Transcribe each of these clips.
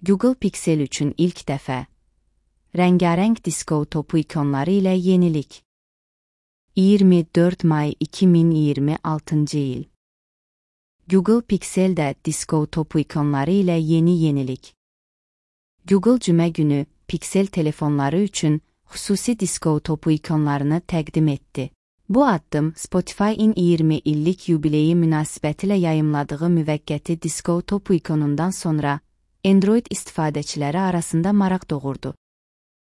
Google Pixel üçün ilk dəfə rəngarəng disko topu ikonları ilə yenilik. 24 may 2026-cı il. Google Pixel'də disko topu ikonları ilə yeni yenilik. Google cümə günü Pixel telefonları üçün xüsusi disko topu ikonlarını təqdim etdi. Bu addım Spotify-in 20 illik yubileyi münasibətilə yayımladığı müvəqqəti disko topu ikonundan sonra Android istifadəçiləri arasında maraq doğurdu.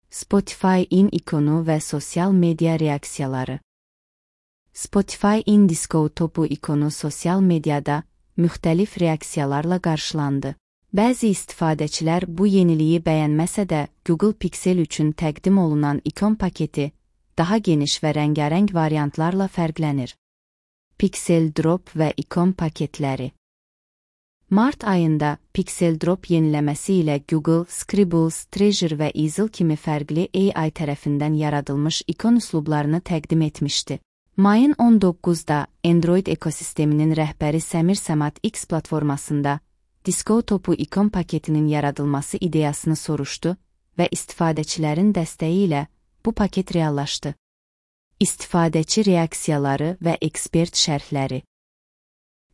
Spotify-in ikonu və sosial media reaksiyaları. Spotify-in disko topu ikonu sosial mediada müxtəlif reaksiyalarla qarşılandı. Bəzi istifadəçilər bu yeniliyi bəyənməsə də Google Pixel üçün təqdim olunan ikon paketi daha geniş və rəngarəng variantlarla fərqlənir. Pixel Drop və ikon paketləri. Mart ayında Pixel Drop yeniləməsi ilə Google, Scribbles, Treasure və Easel kimi fərqli AI tərəfindən yaradılmış ikon üslublarını təqdim etmişdi. Mayın 19-da Android ekosisteminin rəhbəri Səmir Səmat X platformasında disko topu ikon paketinin yaradılması ideyasını soruşdu və istifadəçilərin dəstəyi ilə bu paket reallaşdı. İstifadəçi reaksiyaları və ekspert şərhləri.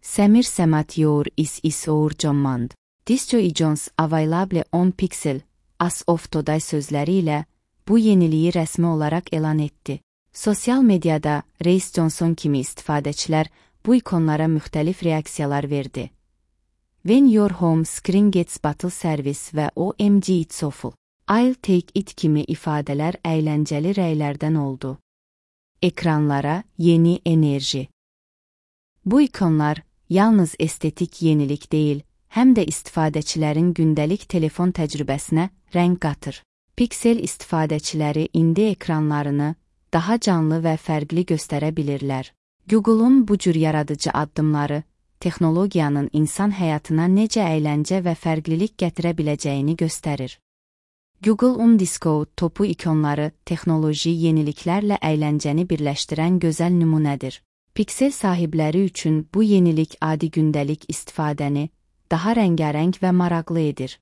Səmir Səmat Your is our command. This is available on Pixel as of today sözləri ilə bu yeniliyi rəsmi olaraq elan etdi. Sosial mediada Reis Johnson kimi istifadəçilər bu ikonlara müxtəlif reaksiyalar verdi. When your home screen gets battle service və OMG it's awful. I'll take it kimi ifadələr əyləncəli rəylərdən oldu. Ekranlara yeni enerji. Bu ikonlar yalnız estetik yenilik deyil, həm də istifadəçilərin gündəlik telefon təcrübəsinə rəng qatır. Pixel istifadəçiləri indi ekranlarını daha canlı və fərqli göstərə bilirlər. Google'un bu cür yaradıcı addımları texnologiyanın insan həyatına necə əyləncə və fərqlilik gətirə biləcəyini göstərir. Google disko topu ikonları texnoloji yeniliklərlə əyləncəni birləşdirən gözəl nümunədir. Pixel sahibləri üçün bu yenilik adi gündəlik istifadəni daha rəngarəng və maraqlı edir.